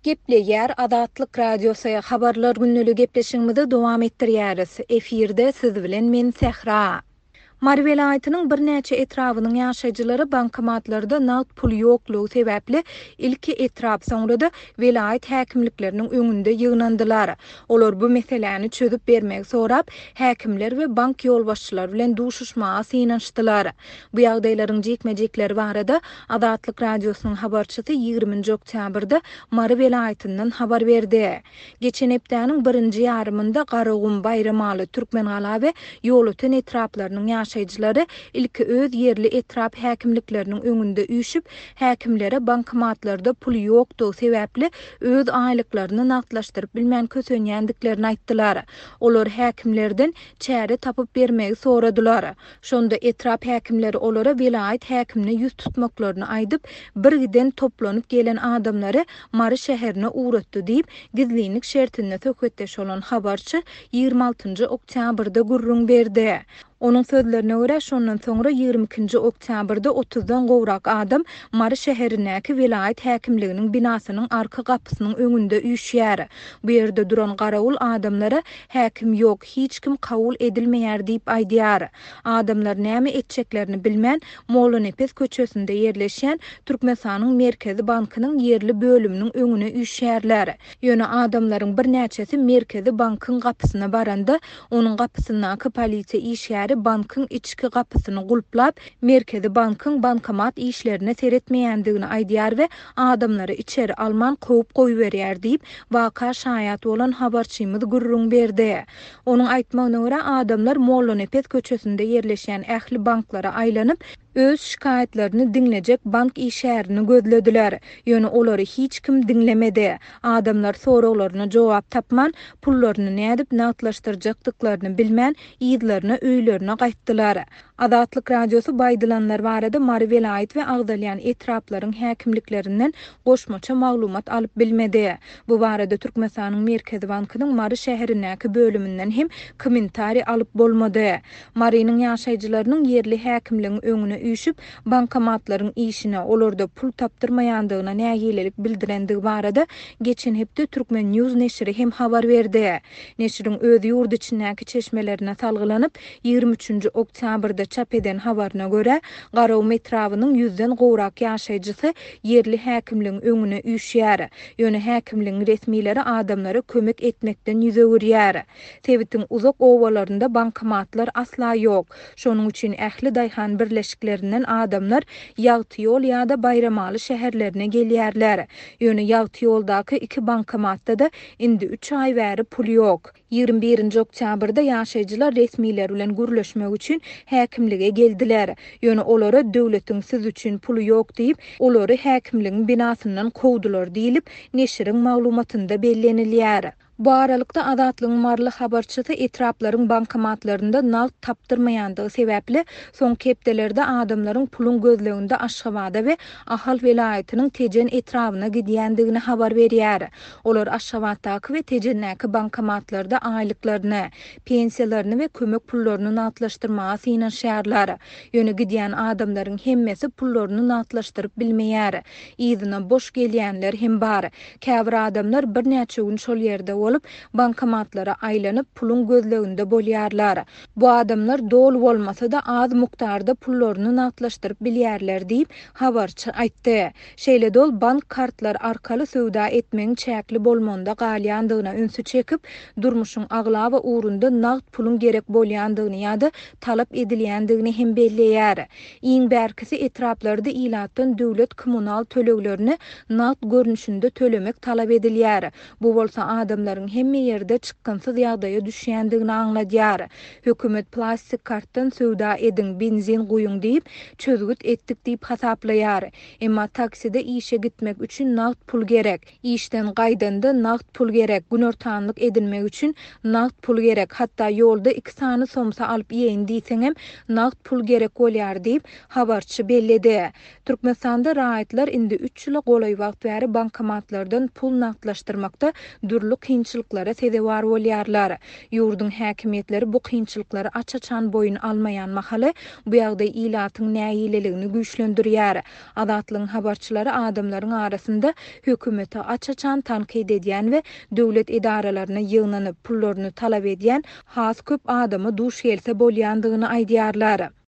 Gepleýär Azatlyk Radiosy, Habarlar gündeligi gepleşigimizi dowam etdirýäris. Efirde siz bilen men Sähra. Mary welaýatynyň birnäçe etrabynyň ýaşaýjylary bankomatlarda nagt pul ýoklugy sebäpli ilki etrap, soňra-da welaýat häkimlikleriniň öňünde ýygnandylar. Olar bu meseläni çözüp bermegi sorap, häkimler we bank ýolbaşçylary bilen duşuşmaga synanyşdylar. Bu ýagdaýlaryň jikme-jikleri barada Azatlyk Radiosynyň habarçysy ýigriminji oktýabrda Mary welaýatyndan habar berdi. Geçen hepdäniň birinji ýarymynda Garagum, Baýramaly, Türkmengala we Ýolöten etraplarynyň ýaşaýjylary ilki öz ýerli etrap häkimlikleriniň öňünde üýşüp, häkimlere bankomatlarda pul ýokdugy sebäpli öz aýlyklaryny nagtlaşdyryp bilmän kösenýändiklerini aýtdylar. Olar häkimlerden çäre tapyp bermegi soradylar. Şonda etrap häkimleri olara welaýat häkimine ýüz tutmaklaryny aýdyp, birgiden toplanyp gelen adamlary Mary şäherine ugratdy diýip, gizlinlik şertinde söhbetdeş bolan habarçy 26 njy oktýabrda gürrüň berdi. Onuň sözlerine görä, şondan soňra 22 nji oktýabrda otuzdan gowrak adam Mary şäherindäki welaýat häkimliginiň binasynyň arka gapysynyň öňünde üýşýär. Bu ýerde duran garawul adamlara Häkim ýok, hiç kim kabul edilmeýär diýip aýdýar. Adamlar näme etjeklerini bilmän, Mollanepes köçesinde ýerleşýän Türkmenistanyň Merkezi bankynyň ýerli bölüminiň öňüne üýşýärler. Ýöne adamlaryň birnäçesi Merkezi bankyň gapysyna baranda, onuň gapysyndaky polisiýa işgäri bankyň içki gapysyny gulplap, Merkezi bankyň bankomat işlerine seretmeýändigini aýdýar we adamlary içeri alman kowup goýberýär diýip, waka şaýat bolan habarçymyz gürrüň berdi. Onuň aýtmagyna görä, adamlar Mollanepes köçesinde ýerleşýän ähli banklara aýlanyp, öz şikaýatlaryny diňlejek bank işgärini gözlediler. Ýöne olary hiç kim diňlemedi. Adamlar soraglaryna jogap tapman, pullaryny nädip nagtlaşdyrjakdyklaryny bilmän, yzlaryna öýlerine gaýtdylar. Azatlyk Radiosy bu aýdylanlar barada Mary welaýat we agzalýan etraplaryň häkimliklerinden goşmaça maglumat alyp bilmedi. Bu barada Türkmenistanyň Merkezi bankynyň Mary şäherindäki bölüminden hem kommentariý alyp bolmady. Marynyň ýaşaýjylarynyň ýerli häkimligiň öňüne üýşüp, bankomatlaryň işine, olarda pul tapdyrmaýandygyna nägilelik bildirendigi barada geçen hepde Turkmen. News neşiri hem habar berdi. Neşiriň öz ýurt içindäki çeşmelerine salgylanyp, 23-nji oktýabrda çap eden habaryna görä, Garagum etrabynyň ýüzden gowrak ýaşaýjysy ýerli häkimligiň öňüne üýşýär. Ýöne häkimligiň resmileri adamlara kömek etmekden ýüz öwürýär. Sebitiň uzak obalarynda bankomatlar asla ýok. Şonuň üçin ähli daýhan birleşiklerinden adamlar Ýagtyýol ýa-da Baýramaly şäherlerine gelýärler. Ýöne Ýagtyýoldaky iki bankomatda-da indi üç aý bäri pul ýok. 21-nji oktýabrda ýaşaýjylar resmiler bilen gürleşmek üçin häkimlige geldiler. Ýöne olara döwletiň siz üçin puly ýok diýip, olary häkimligiň binasyndan kowdular diýlip, neşiriň maglumatynda bellenilýär. Bu aralykda, Azatlygyň maryly habarçysy etraplaryň bankomatlarynda nagt tapdyrmaýandygy sebäpli, soňky hepdelerde adamlaryň puluň gözleginde Aşgabada we Ahal welaýatynyň Tejen etrabyna gidýändigini habar berýär. Olar Aşgabatdaky we Tejendäki bankomatlarda aýlyklaryny, pensiýalaryny we kömek pullaryny nagtlaşdyrmaga synanyşýarlar. Ýöne gidýän adamlaryň hemmesi pullaryny nagtlaşdyryp bilmeýär. Yzyna boş gelýänler hem bar. Käbir adamlar birnäçe gün şol ýerde bolup, bankomatlara aýlanyp, puluň gözleginde bolýarlar. Bu adamlar doly bolmasa-da, az mukdarda pullaryny nagtlaşdyryp bilýärler diýip, habarçy aýtdy. Şeýle-de ol bank kartlary arkaly söwda etmegiň çäkli bolmagynda galýandygyna ünsi çekip, durmuşyň aglaba ugrunda nagt puluň gerek bolýandygyny ýa-da talap edilýändigini hem belleýär. Iň bärkisi etraplarda ilatdan döwlet kommunal töleglerini nagt görnüşinde tölemek talap edilýär. Bu bolsa adamlaryň hemme ýerde çykgynsyz ýagdaýa düşýändigini aňladýar. Hökümet plastik kartdan söwda ediň, benzin guýuň diýip, çözgüt etdik diýip hasaplaýar. Emma takside işe gitmek üçin nagt pul gerek. Işden gaýdanda nagt pul gerek, günortanlyk edinmek üçin nagt pul gerek, hatda ýolda iki sany somsa alyp iýeýin diýseňem nagt pul gerek bolýar diýip, habarçy belledi. Türkmenistanda raýatlar indi üç ýyla golaý wagt bäri bankomatlardan pul nagtlaşdyrmakda dürli kynçylyklara. kynçylyklara sezewar bolýarlar. Ýurduň häkimiýetleri bu kynçylyklary aç-açan boýun almaýan mahaly, bu ýagdaý ilatyň nägileligini güýçlendirýär. Azatlygyň habarçylary adamlaryň arasynda hökümeti aç-açan tankyt edýän we döwlet edaralaryna ýygnanyp, pullaryny talap edýän has köp adama duş gelse bolýandygyny aýdýarlar.